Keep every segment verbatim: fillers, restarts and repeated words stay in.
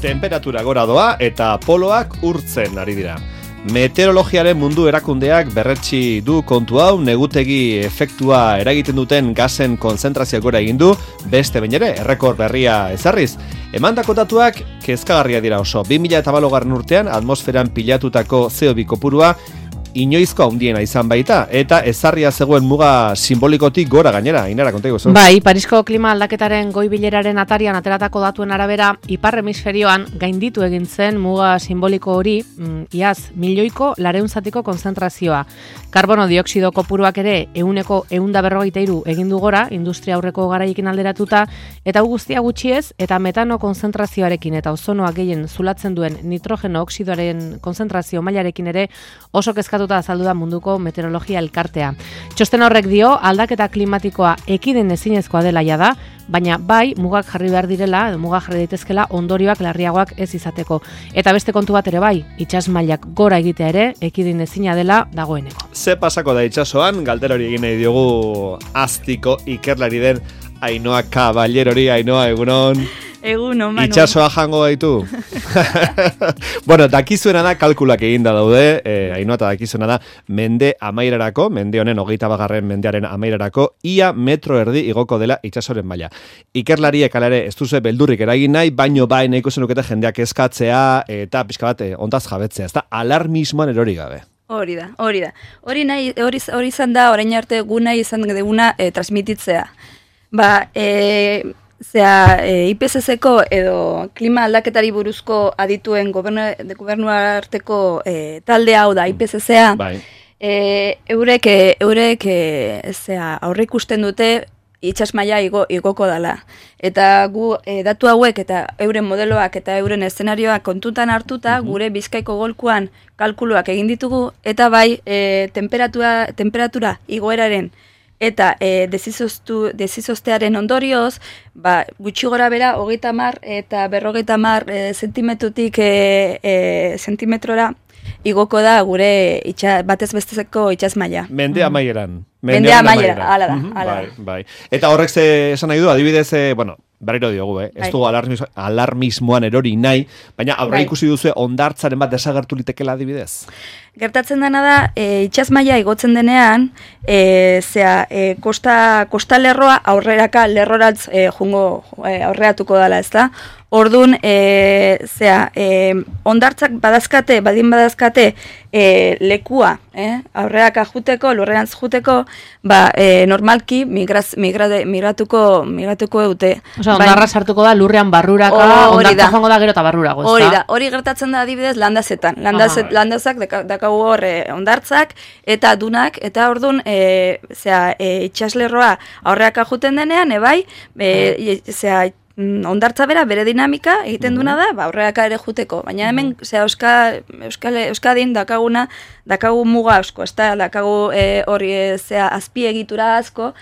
Temperatura gora doa eta poloak urtzen ari dira. Meteorologiaren mundu erakundeak berretsi du kontu hau, negutegi efektua eragiten duten gasen konzentrazioa gora egin du, beste behin ere, errekor berria ezarriz. Emandako datuak kezkagarria dira oso. bi mila hamalau urtean atmosferan pilatutako C O bi kopurua inoizko handiena izan baita, eta ezarria zegoen muga simbolikotik gora gainera, Ainara, konta iguzu. Bai, Parisko klima aldaketaren goi bileraren atarian ateratako datuen arabera, ipar hemisferioan gainditu egin zen muga simboliko hori, mm, iaz, milioiko lareunzatiko konzentrazioa. Karbono dioksido kopuruak ere euneko eunda berrogeita hiru egin du gora, industria aurreko garaiekin alderatuta, eta hau guztia gutxiez, eta metano konzentrazioarekin eta ozonoak gehien zulatzen duen nitrogeno oksidoaren konzentrazio mailarekin ere oso kezkatu azaldu da munduko meteorologia elkartea. Txosten horrek dio aldaketa klimatikoa ekiden ezinezkoa dela jada, baina bai mugak jarri behar direla, mugak jarri daitezkela ondorioak larriagoak ez izateko. Eta beste kontu bat ere bai, itsas mailak gora egitea ere ekidin ezina dela dagoeneko. Ze pasako da itsasoan, galdera hori egin nahi diogu Aztiko ikerlari den Ainhoa Caballerori. Ainhoa, egunon. Egun, no, Manu. Itxasoa jango gaitu. Bueno, dakizuena da, kalkulak eginda daude, eh, Ainhoa, eta dakizuena da, mende amairarako, mende honen hogeita bagarren mendearen amairarako, ia metro erdi igoko dela itxasoren maila. Ikerlariek alare ez duzu beldurrik eragin nahi, baino bai nahiko zenukete jendeak eskatzea, eta pixka bat, eh, ondaz jabetzea, ez da, alarmismoan erori gabe. Hori da, hori da. Hori nahi, hori, hori izan da, orain arte gu nahi izan duguna e, transmititzea. Ba, e, zera, e, I P C C-ko edo klima aldaketari buruzko adituen gobernu, gobernu arteko e, talde hau da I P C C-a, Bai. e, eurek, eurek e, zera, aurre ikusten dute itsas maila igo, igoko dala. Eta gu e, datu hauek eta euren modeloak eta euren eszenarioak kontutan hartuta, uh-huh. gure Bizkaiko golkoan kalkuluak egin ditugu, eta bai e, temperatura, temperatura igoeraren eta e, desizoztearen ondorioz, ba, gutxi gora bera, hogeita mar eta berrogeita mar e, zentimetrotik e, e, zentimetrora igoko da gure itxa, batez bestezeko itsas maila. Mende amaieran. Mende amaieran, hala da. Ala bai, bai. Eta horrek ze esan nahi du, adibidez, eh, bueno, berriro diogu, eh? Ez dugu alarmis, alarmismoan erori nahi, baina aurre ikusi duzu ondartzaren bat desagertu litekela adibidez. Gertatzen dena da, e, itsas maila igotzen denean, e, zera, e, kosta, kosta lerroa aurreraka lerrorantz e, jungo e, aurreatuko dela, ez da? Ordun, e, zera, e, ondartzak badazkate, badin badazkate e, lekua, eh? aurreraka juteko, lurrerantz juteko, ba, e, normalki migraz, migrade, migratuko, migratuko eute. Osa, ondarra sartuko da lurrean barruraka, oh, ondartza joango da gero eta barrurago, ez da? Hori da, hori gertatzen da adibidez landazetan. Landazet, landazak dakagu hor e, ondartzak eta dunak, eta ordun, e, zera, e, itxaslerroa aurreaka juten denean, ebai, e, zera, ondartza bera, bere dinamika egiten duna da, ba, aurreaka ere juteko. Baina hemen, zera, Euskal, Euskal, Euskadin dakaguna, dakagu muga asko, ez da, dakagu e, hori, zera, azpiegitura asko,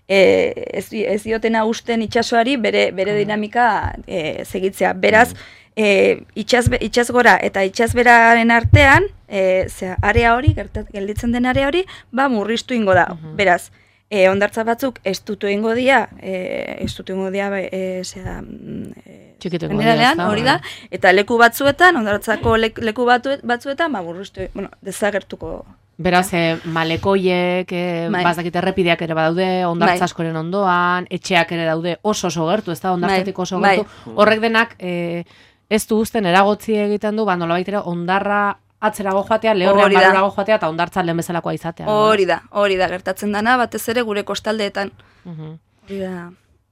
e, ez, ez diotena usten itxasoari bere, bere dinamika e, segitzea. Beraz, e, itxas, itxas gora eta itxas beraren artean, e, zera, area hori, gertat, gelditzen den area hori, ba, murriztu ingo da. Beraz, E, ondartza batzuk ez dutu ingo dia, e, ez dutu ingo dia, e, zera, e, generalean, hori da, eta leku batzuetan, ondartzako leku, leku batu, batzuetan, ba, burruztu, bueno, desagertuko. Beraz, e, malekoiek, e, bazdakit errepideak ere badaude, ondartza askoren ondoan, etxeak ere daude oso oso gertu, ez da, ondartzatik oso gertu. Horrek denak, e, ez du guzten eragotzi egiten du, ba, nolabait ere, ondarra atzerago joatea, lehorrean barurago joatea, eta ondartzan lehen bezalakoa izatea. Hori da, hori da, gertatzen dana, batez ere gure kostaldeetan. Hori da.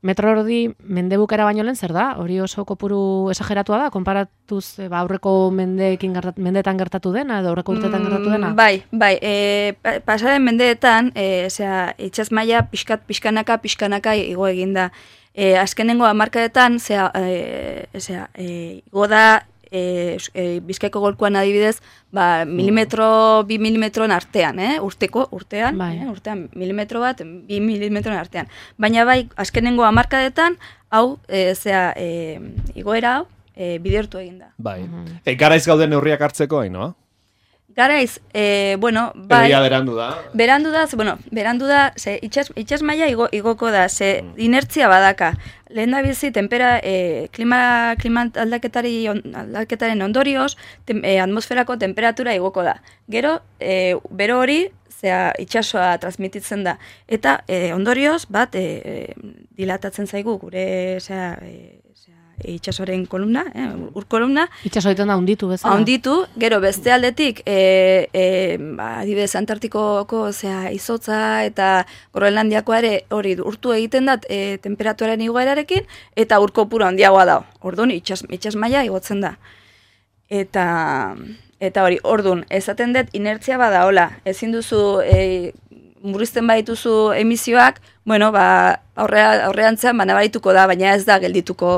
Metro erdi mendebukera baino lehen zer da? Hori oso kopuru esageratua da, konparatuz ba, aurreko mendeekin gertat, mendeetan gertatu dena, edo aurreko urteetan gertatu dena? Bai, bai, e, pasaren mendeetan, e, zera, itxas maila pixkat, pixkanaka, pixkanaka igo eginda. E, azkenengo hamarkadetan, zera, e, zera, e, igo da, E, e, Bizkaiko golkoan adibidez, ba, milimetro, bi milimetron artean, eh? urteko, urtean, bai. eh? urtean, milimetro bat, bi milimetron artean. Baina bai, azkenengo hamarkadetan, hau, e, zera, e, igoera hau, e, bidertu egin da. Bai. Uh-huh. E, garaiz gauden neurriak hartzeko, hain, no? garaiz, e, bueno, bai... Edo berandu da. Berandu da, bueno, berandu da, ze itxas, itxas maila igo, igoko da, ze mm. inertzia badaka. Lehen da bizi, tempera, e, klima, klima aldaketari, on, aldaketaren ondorioz, tem, e, atmosferako temperatura igoko da. Gero, e, bero hori, zea itxasoa transmititzen da. Eta e, ondorioz, bat, e, dilatatzen zaigu, gure, zea, e, itxasoaren kolumna, eh, ur kolumna. Itxaso egiten da hunditu bezala. Hunditu, gero beste aldetik, e, e, ba, adibidez Antartikoko zea izotza eta Groenlandiakoa ere hori urtu egiten dat e, temperaturaren igoerarekin eta ur kopuru handiagoa da. Orduan itxas, itxas maila igotzen da. Eta eta hori, orduan, esaten dut inertzia bada hola, ezin duzu e, murrizten badituzu emisioak, bueno, ba, aurrea, aurreantzean ba, nabarituko da, baina ez da geldituko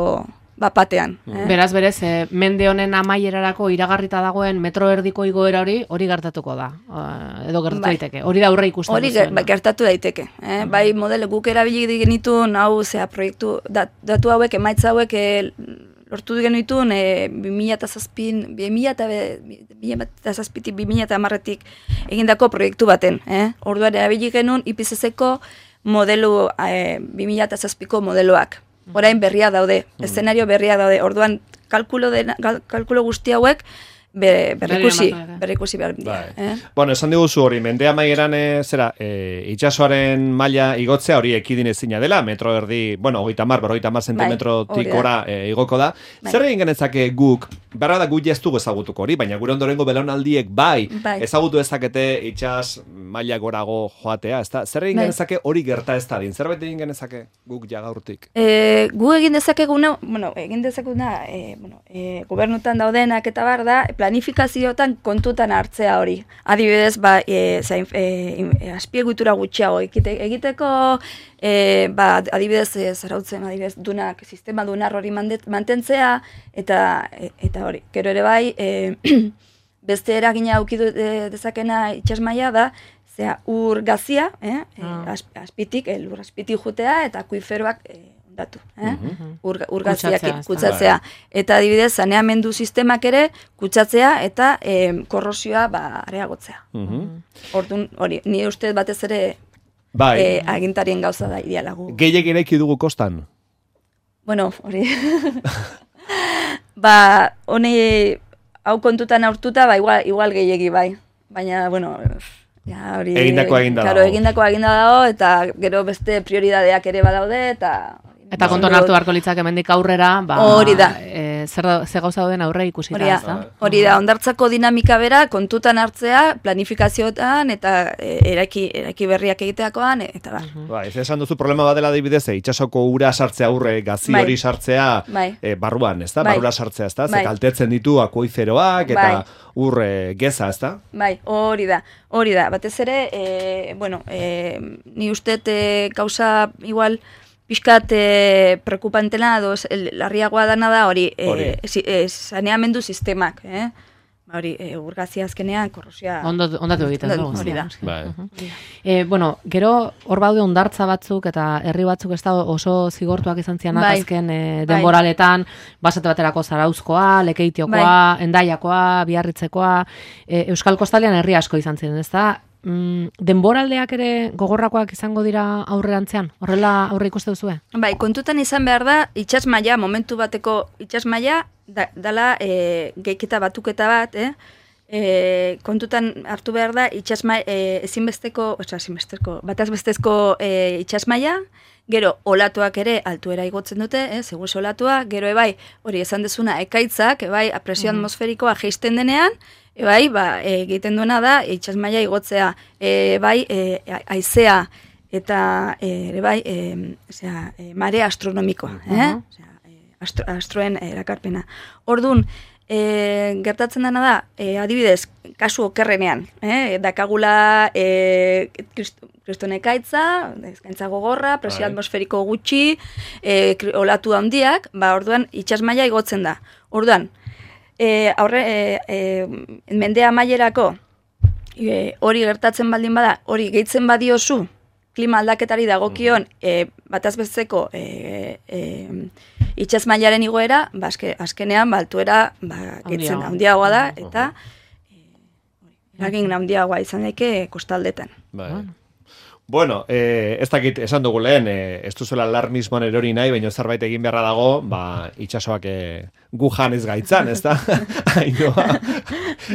bapatean. Eh? Beraz, berez, eh, mende honen amaierarako iragarrita dagoen metro erdiko igoera hori, hori gertatuko da, uh, edo gertatu bai. daiteke. Hori da aurre ikusten hori duzuena. Hori gertatu daiteke. Eh? Uh-huh. Bai, model guk erabili genitu, hau, zea, proiektu, dat, datu hauek, emaitza hauek, e, lortu genituen, e, bi mila zazpin, bi mila zazpitik, bi mila hamarretik egindako proiektu baten. Eh? Orduan erabili genuen I P C C-ko modelu, e, bi mila zazpiko modeloak. Orain berria daude, mm. eszenario berria daude. Orduan kalkulo, de, kalkulo guzti hauek be, berrikusi, berrikusi behar dira. Eh? Bueno, esan diguzu hori, mende amaieran e, zera, e, itxasoaren maila igotzea hori ekidin ezina dela, metro erdi, bueno, hogeita mar, berrogeita mar zentimetrotik ora e, igoko da. Bai. Zer egin genezake guk, berra da guk jaztugu ezagutuko hori, baina gure ondorengo belaunaldiek bai, bai. ezagutu ezakete itxas maila gorago joatea, ezta? Zer egin bai. genezake hori gerta ez da din? Zerbait egin genezake guk jagaurtik? E, gu egin dezakeguna, bueno, egin dezakeguna, e, bueno, e, gobernutan daudenak eta bar da, planifikaziotan kontutan hartzea hori. Adibidez, ba, e, zain, e, azpiegitura gutxiago egiteko, e, ba, adibidez, e, zarautzen, adibidez, dunak, sistema dunar hori mantentzea, eta eta hori. Gero ere bai, e, beste eragina aukidu dezakena itxasmaia da, zera, ur gazia, eh, ah. azpitik, el ur azpitik jutea, eta akuiferoak e, ondatu, eh? Uh-huh. ur, ur gaziak kutsatzea. Eta adibidez, saneamendu sistemak ere kutsatzea eta e, korrosioa ba, areagotzea. Uh-huh. Orduan, hori, ni uste batez ere bai. e, agintarien gauza da idealagu. Gehiek eraiki dugu kostan? Bueno, hori... ba, honi hau kontutan aurtuta, ba, igual, igual gehiegi bai. Baina, bueno... Ja, hori, egindakoa eginda dago. Egindakoa eginda dago, eta gero beste prioridadeak ere badaude, eta... Eta konton hartu beharko litzak hemendik aurrera, ba, hori da. E, zer, zer gauza dauden aurre ikusi da, ez da? Hori da, ondartzako dinamika bera kontutan hartzea, planifikazioetan, eta e, eraiki, eraiki berriak egiteakoan, eta ba. Uh-huh. Ba, ez esan duzu problema badela adibidez, itxasoko ura sartzea aurre, gazi bai. hori sartzea bai. e, barruan, ez da? Bai. Barrura sartzea, ez da? Bai. Ze kaltetzen ditu akuiferoak, eta bai. ur e, geza, ez da? Bai, hori da. Hori da, batez ere, e, bueno, e, ni uste e, gauza igual, pixkat e, preocupantena doz, larriagoa dana da hori, e, si, e, saneamendu sistemak, eh? Hori, e, urgazia azkenean, korrosia... Ondatu, ondatu egiten dugu. Hori da. Bai. Uh-huh. e, bueno, gero, hor baude ondartza batzuk eta herri batzuk ez da oso zigortuak izan zian bai. azken e, denboraletan, basate baterako Zarauzkoa, Lekeitiokoa, bai. Endaiakoa, Biarritzekoa, e, Euskal Kostalean herri asko izan ziren, ez da? Mm, denboraldeak ere gogorrakoak izango dira aurrerantzean? Horrela aurre ikuste duzue? Bai, kontutan izan behar da, itxas maila, momentu bateko itxas maila, da, dala e, geiketa batuketa bat, eh? E, kontutan hartu behar da, itxas maila, e, ezinbesteko, oza, ezinbesteko, batazbestezko e, itxas maila, gero olatuak ere altuera igotzen dute, eh, segun olatua, gero ebai, hori esan dezuna, ekaitzak, ebai, presio atmosferikoa jeisten denean, ebai, ba, egiten duena da, itxas maila igotzea, ebai, e, aizea, eta ere bai, e, osea, e, mare astronomikoa, eh? Osea, astro, astroen erakarpena. Orduan, e, gertatzen dena da, e, adibidez, kasu okerrenean, eh? dakagula e, kristonekaitza, eskaintza gogorra, presio atmosferiko gutxi, e, olatu handiak, ba, orduan, itxas maila igotzen da. Orduan, E, aurre, e, e, mendea amaierako e, hori gertatzen baldin bada, hori gehitzen badiozu klima aldaketari dagokion e, batazbesteko e, e, itxas mailaren igoera, ba, azke, azkenean baltuera ba, gehitzen handiagoa da, eta e, eragin handiagoa izan daike kostaldetan. Bai. Bueno, eh, ez dakit esan dugu lehen, eh, ez duzuela alarmismoan erori nahi, baina zerbait egin beharra dago, ba, itxasoak eh, gu janez gaitzan, ez da? Ainoa,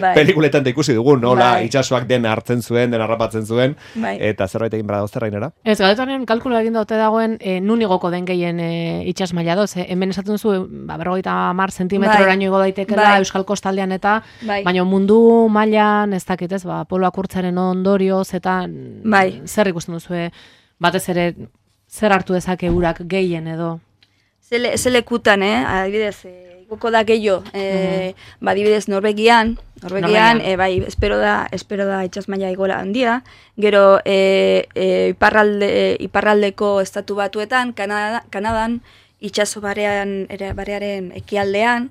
bai. Pelikuletan da ikusi dugu, nola bai. Itxasoak den hartzen zuen, den harrapatzen zuen, bai. Eta zerbait egin beharra dago zerrainera? Ez, galetanen kalkulu egin daute dagoen, e, nun igoko den gehien e, itxas maila doz, eh? Hemen esaten zu, ba, berrogeita hamar zentimetro eraino igo daitekela bai. Euskal Kostaldean eta, bai. Baina mundu mailan ez dakit ez, ba, poloak urtzaren ondorioz eta bai. Zer ikusten duzue, batez ere, zer hartu dezake urak gehien edo? Zele, zelekutan, eh? Adibidez, eh, igoko da gehiago, eh, mm. ba, adibidez, Norvegian, Norvegian, eh, bai, espero da, espero da itxas maila igola handia, gero, eh, eh, iparralde, eh, iparraldeko estatu batuetan, Kanada, Kanadan, itxaso barean, ere, barearen ekialdean,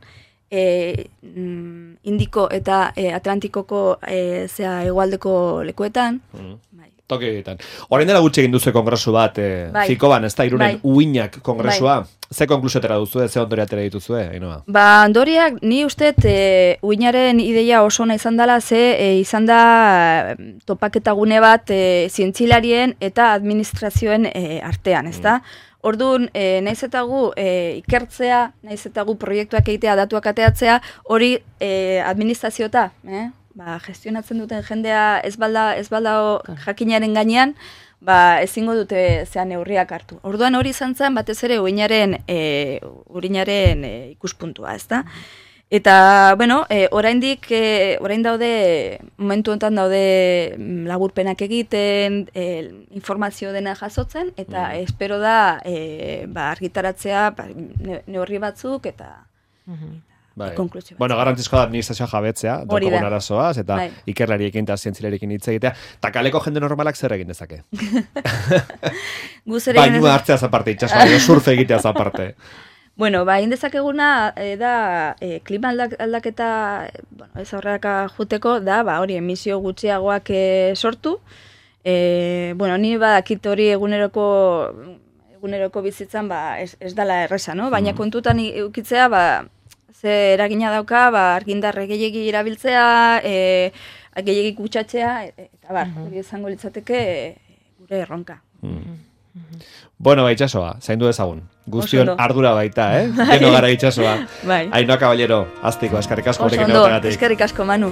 eh, Indiko eta eh, Atlantikoko eh, zea hegoaldeko lekuetan, mm. Toki egiten. Orain dela gutxi egin duzu kongresu bat, eh, bai. Zikoban, ez da, Irunen bai. Uinak kongresua. Bai. Ze konklusiotera duzu, ze ondoria atera dituzue, Ainhoa? Ba, ondoriak, ni uste, e, uinaren ideia oso ona izan dela, ze e, izan da topaketagune bat e, zientzilarien eta administrazioen e, artean, ez da? Mm. Orduan, e, naiz eta gu e, ikertzea, naiz eta gu proiektuak egitea, datuak ateatzea, hori e, administraziota, eh? Ba, gestionatzen duten jendea ez balda, ez balda jakinaren gainean, ba, ezingo dute zean neurriak hartu. Orduan hori izan zen, batez ere urinaren, e, urinaren e, ikuspuntua, ez da? Eta, bueno, e, oraindik, e, orain daude, momentu honetan daude laburpenak egiten, e, informazio dena jasotzen, eta mm. espero da e, ba, argitaratzea ba, neurri batzuk, eta... Mm-hmm. Bai. Bueno, garrantzizkoa da administrazioa jabetzea, daukagun arazoaz, eta bai. Ikerlariekin eta zientzilariekin hitz egitea. Eta kaleko jende normalak zer egin dezake? Bainua hartzea zaparte, itxasua, surfe egitea zaparte. Bueno, ba, indezakeguna e, da e, klima aldak, aldaketa, bueno, ez aurreraka juteko, da, ba, hori emisio gutxiagoak e, sortu. E, bueno, ni badakit hori eguneroko eguneroko bizitzan, ba, ez, ez dala erresa, no? Baina mm. kontutan ukitzea, ba, ze eragina dauka, ba, argindarre gehiegi irabiltzea, e, gehiegi kutsatzea, eta bar, hori uh-huh. izango litzateke e, gure erronka. Mm. Bueno, ba, itxasoa, zaindu dezagun. Guztion ardura baita, eh? Geno gara itxasoa. Bai. Ainhoa Caballero, aztiko, eskerrik asko. Oso ondo, eskerrik asko, Manu.